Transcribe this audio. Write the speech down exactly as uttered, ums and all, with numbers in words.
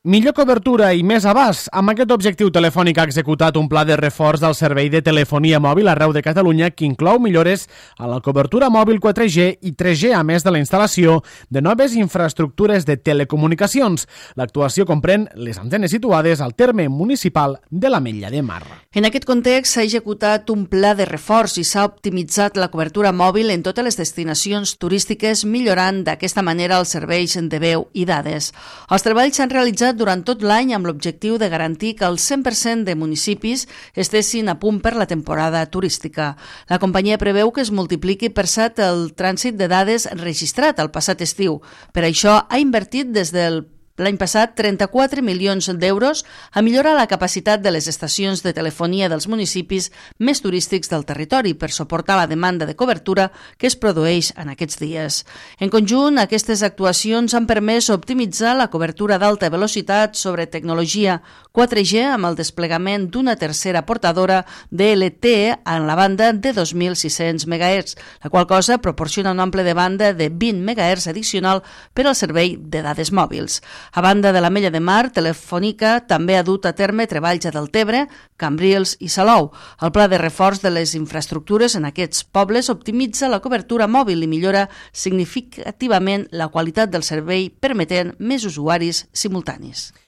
Millor cobertura i més abast. Amb aquest objectiu, Telefònica ha executat un pla de reforç del servei de telefonia mòbil arreu de Catalunya que inclou millores a la cobertura mòbil quatre G i tres G, a més de la instal·lació de noves infraestructures de telecomunicacions. L'actuació comprèn les antenes situades al terme municipal de l'Ametlla de Mar. En aquest context s'ha executat un pla de reforç i s'ha optimitzat la cobertura mòbil en totes les destinacions turístiques, millorant d'aquesta manera els serveis de veu i dades. Els treballs s'han realitzat durant tot l'any amb l'objectiu de garantir que el cent per cent de municipis estessin a punt per la temporada turística. La companyia preveu que es multipliqui per set el trànsit de dades registrat el passat estiu. Per això ha invertit des del l'any passat trenta-quatre milions d'euros a millorar la capacitat de les estacions de telefonia dels municipis més turístics del territori per suportar la demanda de cobertura que es produeix en aquests dies. En conjunt, aquestes actuacions han permès optimitzar la cobertura d'alta velocitat sobre tecnologia quatre G amb el desplegament d'una tercera portadora de L T E en la banda de dos mil sis-cents megahertz, la qual cosa proporciona un ample de banda de vint megahertz addicional per al servei de dades mòbils. A banda de l'Ametlla de Mar, Telefònica també ha dut a terme treballs a Deltebre, Cambrils i Salou. El pla de reforç de les infraestructures en aquests pobles optimitza la cobertura mòbil i millora significativament la qualitat del servei, permetent més usuaris simultanis.